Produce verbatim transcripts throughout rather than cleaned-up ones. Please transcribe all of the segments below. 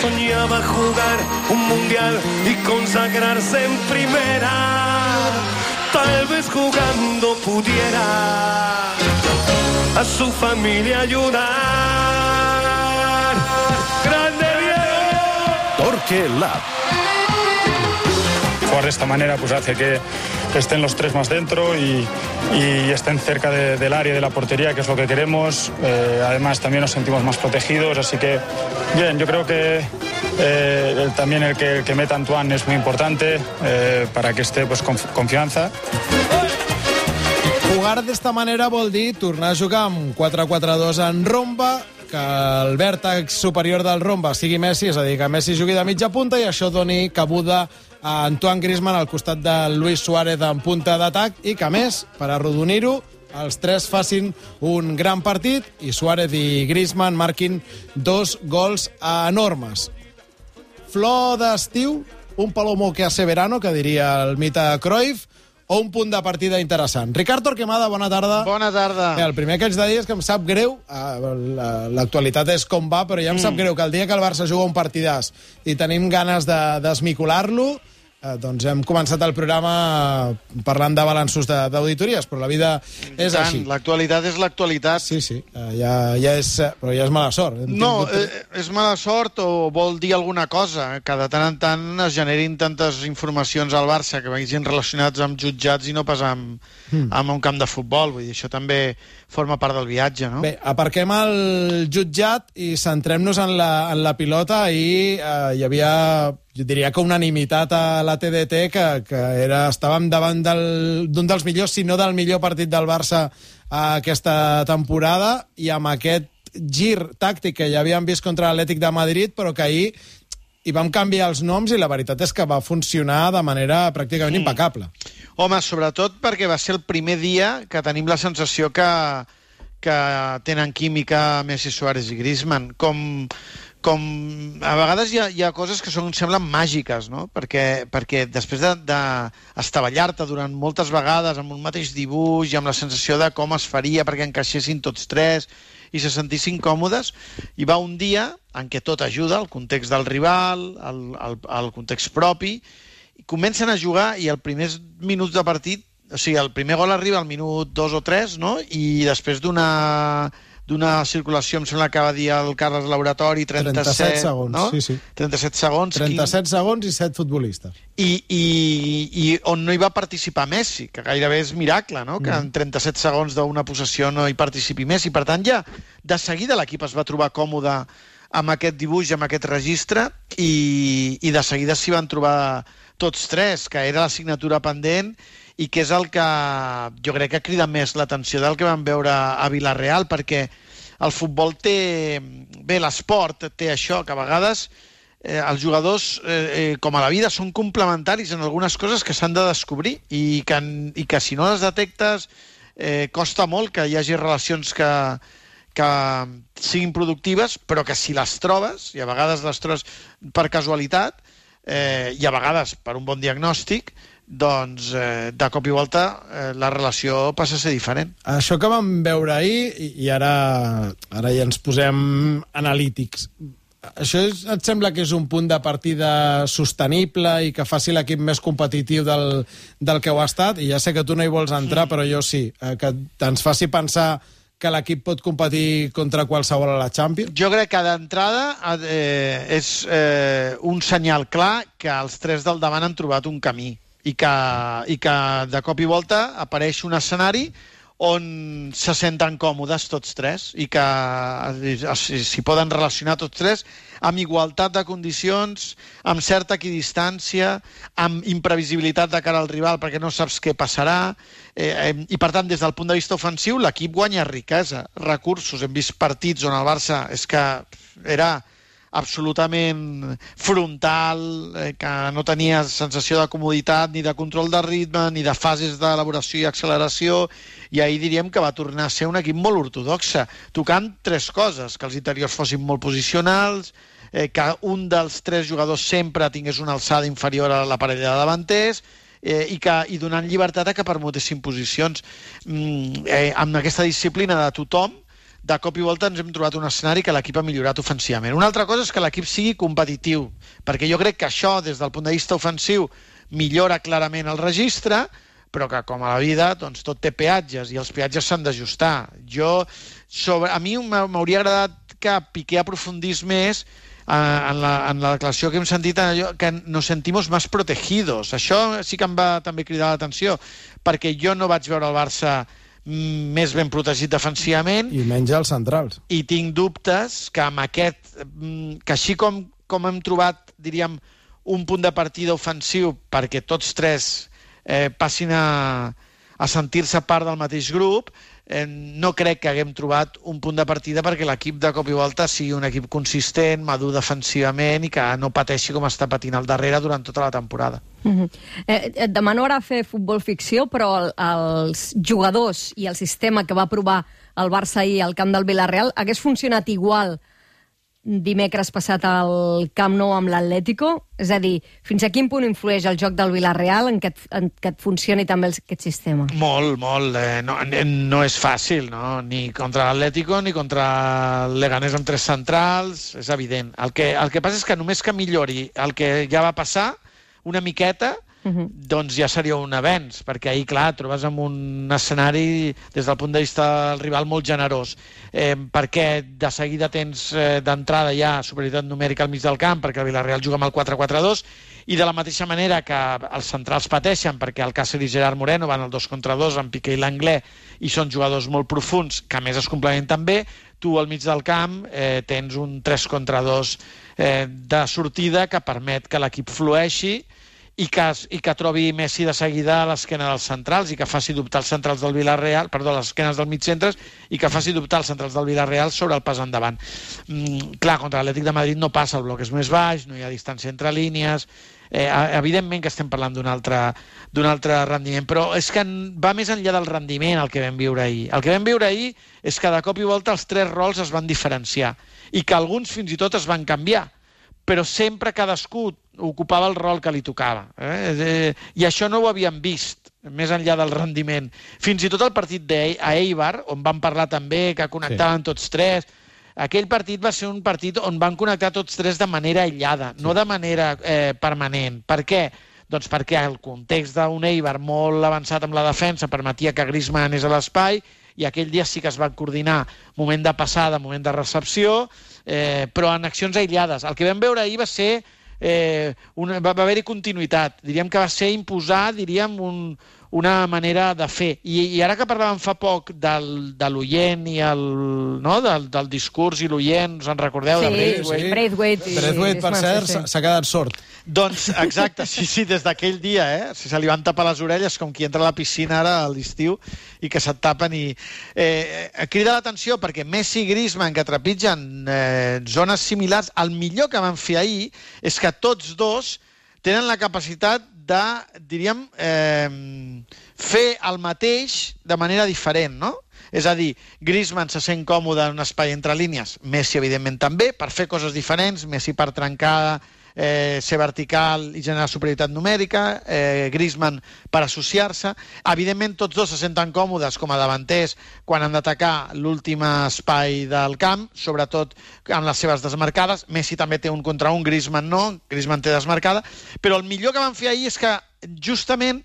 soñaba jugar un mundial y consagrarse en primera. Tal vez jugando pudiera a su familia ayudar. ¡Grande Diego! Torque Lab. Jugar de esta manera pues hace que estén los tres más dentro y, y estén cerca de, del área de la portería, que es lo que queremos. Eh, además también nos sentimos más protegidos, así que bien, yo creo que eh, el, también el que, el que meta Antoine es muy importante eh, para que esté pues, con confianza. Jugar d'esta manera vol dir tornar a jugar amb quatre quatre dos en romba, que el vèrtex superior del romba sigui Messi, és a dir, que Messi jugui de mitja punta i això doni cabuda a Antoine Griezmann al costat de Luis Suárez en punta d'atac i que, a més, per arrodonir-ho, els tres facin un gran partit i Suárez i Griezmann marquin dos gols enormes. Flor d'estiu, un palomo que hace verano, que diria el mite Cruyff, o un punt de partida interessant. Ricard Torquemada, bona tarda. Bona tarda. Bé, el primer que haig de dir és que em sap greu, l'actualitat és com va, però ja em mm. sap greu que el dia que el Barça juga un partidàs i tenim ganes de desmicolar-lo, eh, doncs hem començat el programa parlant de balanços d'auditories, però la vida és Tant, així. L'actualitat és l'actualitat. Sí, sí, eh, ja, ja és, però ja és mala sort. Hem No, tingut... eh, és mala sort o vol dir alguna cosa, que de tant en tant es generin tantes informacions al Barça que vagin relacionats amb jutjats i no pas amb, mm. amb un camp de futbol. Vull dir, això també forma part del viatge, no? Bé, aparquem el jutjat i centrem-nos en la, en la pilota. Ahir eh, hi havia, jo diria que unanimitat a la T D T que, que era, estàvem davant d'un del, dels millors, si no del millor partit del Barça aquesta temporada, i amb aquest gir tàctic que ja havíem vist contra l'Atlètic de Madrid, però que ahir hi vam canviar els noms i la veritat és que va funcionar de manera pràcticament mm. impecable. Home, sobretot perquè va ser el primer dia que tenim la sensació que, que tenen química Messi, Suárez i Griezmann. Com, com a vegades hi ha, hi ha coses que són, semblen màgiques, no? Perquè, perquè després d'estavellar-te de, de durant moltes vegades amb un mateix dibuix i amb la sensació de com es faria perquè encaixessin tots tres i se sentissin còmodes, hi va un dia en què tot ajuda, el context del rival, el, el, el context propi, i comencen a jugar i els primers minuts de partit, o sigui, el primer gol arriba al minut dos o tres, no? I després d'una d'una circulació, em sembla que va dir el Carles Laboratori, trenta-set, trenta-set segons, no? sí, sí. trenta-set segons. trenta-set segons i set futbolistes. I, i, i on no hi va participar Messi, que gairebé és miracle, no? Que en trenta-set segons d'una possessió no hi participi Messi. Per tant, ja de seguida l'equip es va trobar còmode amb aquest dibuix, amb aquest registre, i, i de seguida s'hi van trobar tots tres, que era la signatura pendent i que és el que jo crec que crida més l'atenció del que vam veure a Villarreal, perquè el futbol té... Bé, l'esport té això, que a vegades eh, els jugadors, eh, com a la vida, són complementaris en algunes coses que s'han de descobrir i que, i que si no les detectes eh, costa molt que hi hagi relacions que, que siguin productives, però que si les trobes, i a vegades les trobes per casualitat, eh, i a vegades per un bon diagnòstic, doncs eh, de cop i volta eh, la relació passa a ser diferent. Això que vam veure ahir, i, i ara, ara ja ens posem analítics, això és, et sembla que és un punt de partida sostenible i que faci l'equip més competitiu del, del que ho ha estat? I ja sé que tu no hi vols entrar, mm. però jo sí, eh, que ens faci pensar que l'equip pot competir contra qualsevol a la Champions? Jo crec que d'entrada eh, és eh, un senyal clar que els tres del davant han trobat un camí i que, i que de cop i volta apareix un escenari on se senten còmodes tots tres i que s'hi poden relacionar tots tres amb igualtat de condicions, amb certa equidistància, amb imprevisibilitat de cara al rival perquè no saps què passarà, eh, eh, i per tant des del punt de vista ofensiu l'equip guanya riquesa, recursos. Hem vist partits on el Barça és que era absolutament frontal, eh, que no tenia sensació de comoditat, ni de control de ritme, ni de fases d'elaboració i acceleració, i ahir diríem que va tornar a ser un equip molt ortodoxe, tocant tres coses: que els interiors fossin molt posicionals, eh, que un dels tres jugadors sempre tingués una alçada inferior a la parella de davanters, eh, i, que, i donant llibertat a que permutessin posicions. Mm, eh, amb aquesta disciplina de tothom, de cop i volta ens hem trobat un escenari que l'equip ha millorat ofensivament. Una altra cosa és que l'equip sigui competitiu, perquè jo crec que això, des del punt de vista ofensiu, millora clarament el registre, però que, com a la vida, doncs, tot té peatges, i els peatges s'han d'ajustar. Jo, sobre, a mi m'hauria agradat que Piqué aprofundís més eh, en, la, en la declaració que hem sentit, en allò, que nos sentimos más protegidos. Això sí que em va també cridar l'atenció, perquè jo no vaig veure el Barça més ben protegit defensivament. I menys els centrals. I tinc dubtes que amb aquest... que així com, com hem trobat, diríem, un punt de partida ofensiu perquè tots tres eh, passin a, a sentir-se part del mateix grup, eh, no crec que haguem trobat un punt de partida perquè l'equip de cop i volta sigui un equip consistent, madur defensivament i que no pateixi com està patint al darrere durant tota la temporada. Mm-hmm. eh, et demano ara fer futbol ficció, però el, els jugadors i el sistema que va provar el Barça ahir al camp del Villarreal hagués funcionat igual dimecres passat al Camp Nou amb l'Atlético? És a dir, fins a quin punt influeix el joc del Villarreal en que et, en que et funcioni també aquest sistema? Molt, molt. Eh, no, no és fàcil, no? Ni contra l'Atlético ni contra el Leganés amb tres centrals, és evident. El que, el que passa és que només que millori el que ja va passar, una miqueta, uh-huh. doncs ja seria un avenç, perquè ahir, clar, trobes en un escenari, des del punt de vista del rival, molt generós, eh, perquè de seguida tens eh, d'entrada ja superioritat numèrica al mig del camp, perquè el Villarreal juga amb el quatre quatre dos, i de la mateixa manera que els centrals pateixen, perquè el Cáceres i Gerard Moreno van al dos contra dos amb Piqué i l'Anglès, i són jugadors molt profuns, que a més es complementen bé, tu al mig del camp eh, tens un tres contra dos eh, de sortida que permet que l'equip flueixi i que, i que trobi Messi de seguida a l'esquena dels centrals i que faci dubtar els centrals del Villarreal, perdó, a les esquenes dels mitcentres, i que faci dubtar els centrals del Villarreal sobre el pas endavant. Mm, clar, contra l'Atlètic de Madrid no passa, el bloc és més baix, no hi ha distància entre línies, eh, evidentment que estem parlant d'un altre, d'un altre rendiment, però és que va més enllà del rendiment el que vam viure ahir. El que vam viure ahir és que de cop i volta els tres rols es van diferenciar i que alguns fins i tot es van canviar, però sempre cadascú ocupava el rol que li tocava. Eh? I això no ho havíem vist, més enllà del rendiment. Fins i tot el partit a Eibar, on van parlar també que connectaven sí. tots tres, aquell partit va ser un partit on van connectar tots tres de manera aïllada, sí. no de manera eh, permanent. Per què? Doncs perquè el context d'un Eibar molt avançat amb la defensa permetia que Griezmann anés a l'espai, i aquell dia sí que es van coordinar moment de passada, moment de recepció, eh, però en accions aïllades. El que vam veure ahir va ser eh, una, va, va haver-hi continuïtat. Diríem que va ser imposar, diríem, un, una manera de fer. I, i ara que parlàvem fa poc del, de l'oient i el, no? del, del discurs i l'oient, us en recordeu? Sí, de Braithwaite? Sí. Braithwaite, i... Braithwaite, per cert, s'ha sí. quedat sord. Doncs, exacte, sí, sí, des d'aquell dia, eh? Si se li van tapar les orelles com qui entra a la piscina ara a l'estiu i que se't tapen i... Eh, crida l'atenció perquè Messi i Griezmann, que trepitgen eh, zones similars, el millor que van fer ahir és que tots dos tenen la capacitat de, diríem, eh, fer el mateix de manera diferent, no? És a dir, Griezmann se sent còmode en un espai entre línies, Messi, evidentment, també, per fer coses diferents, Messi per trencar, eh, ser vertical i generar superioritat numèrica, eh, Griezmann per associar-se. Evidentment, tots dos se senten còmodes com a davanters quan han d'atacar l'últim espai del camp, sobretot en les seves desmarcades. Messi també té un contra un, Griezmann no, Griezmann té desmarcada, però el millor que van fer ahir és que justament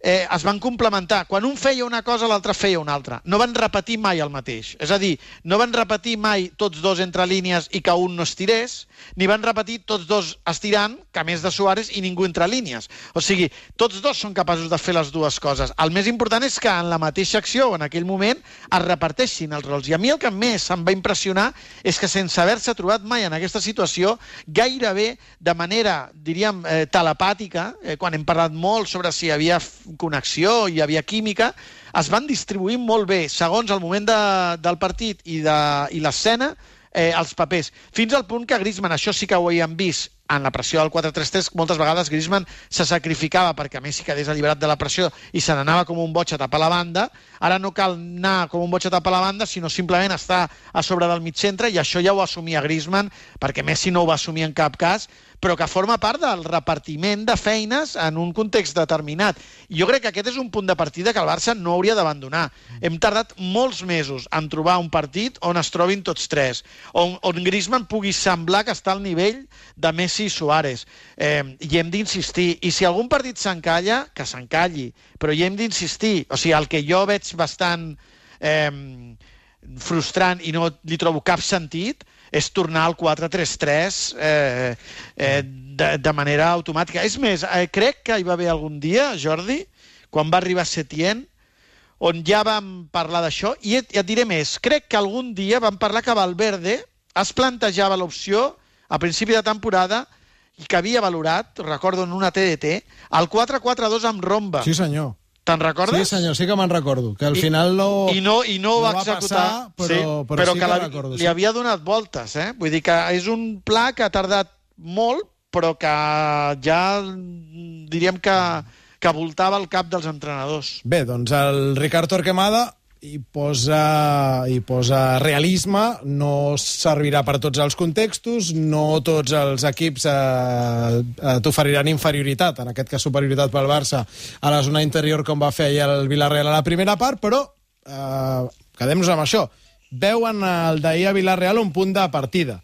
eh, es van complementar. Quan un feia una cosa, l'altre feia una altra. No van repetir mai el mateix. És a dir, no van repetir mai tots dos entre línies i que un no estirés, ni van repetir tots dos estirant, que a més de Suárez, i ningú entre línies. O sigui, tots dos són capaços de fer les dues coses. El més important és que en la mateixa acció, en aquell moment, es reparteixin els rols. I a mi el que més em va impressionar és que sense haver-se trobat mai en aquesta situació, gairebé de manera, diríem, eh, telepàtica, eh, quan hem parlat molt sobre si hi havia connexió, hi havia química, es van distribuir molt bé, segons el moment de, del partit i, de, i l'escena, eh, els papers. Fins al punt que Griezmann, això sí que ho havíem vist, en la pressió del quatre tres tres, moltes vegades Griezmann se sacrificava perquè Messi quedés alliberat de la pressió i se n'anava com un boig a tapar la banda. Ara no cal anar com un boig a tapar la banda, sinó simplement estar a sobre del mig centre, i això ja ho assumia Griezmann, perquè Messi no ho va assumir en cap cas, però que forma part del repartiment de feines en un context determinat. I jo crec que aquest és un punt de partida que el Barça no hauria d'abandonar. Hem tardat molts mesos en trobar un partit on es trobin tots tres, on, on Griezmann pugui semblar que està al nivell de Messi i Suárez. Eh, I hem d'insistir. I si algun partit s'encalla, que s'encalli. Però hi hem d'insistir. O sigui, el que jo veig bastant eh, frustrant i no li trobo cap sentit és tornar al quatre tres tres eh, eh, de, de manera automàtica. És més, eh, crec que hi va haver algun dia, Jordi, quan va arribar Setién, on ja vam parlar d'això, i et, et diré més, crec que algun dia vam parlar que Valverde es plantejava l'opció a principi de temporada i que havia valorat, recordo en una T D T, el quatre quatre dos amb Romba. Sí, senyor. Te'n recordes? Sí, senyor, sí que me'n recordo. Que al I, final no, i no, i no, no va executar, passar, però, sí, però, però sí que, que la, recordo. li Sí. havia donat voltes, eh? Vull dir que és un pla que ha tardat molt, però que ja diríem que, que voltava el cap dels entrenadors. Bé, doncs el Ricard Torquemada hi posa, hi posa realisme, no servirà per tots els contextos, no tots els equips eh, eh, t'oferiran inferioritat, en aquest cas superioritat pel Barça, a la zona interior com va fer ahir el Villarreal a la primera part, però eh, quedem-nos amb això. Veuen el d'ahir a Villarreal un punt de partida.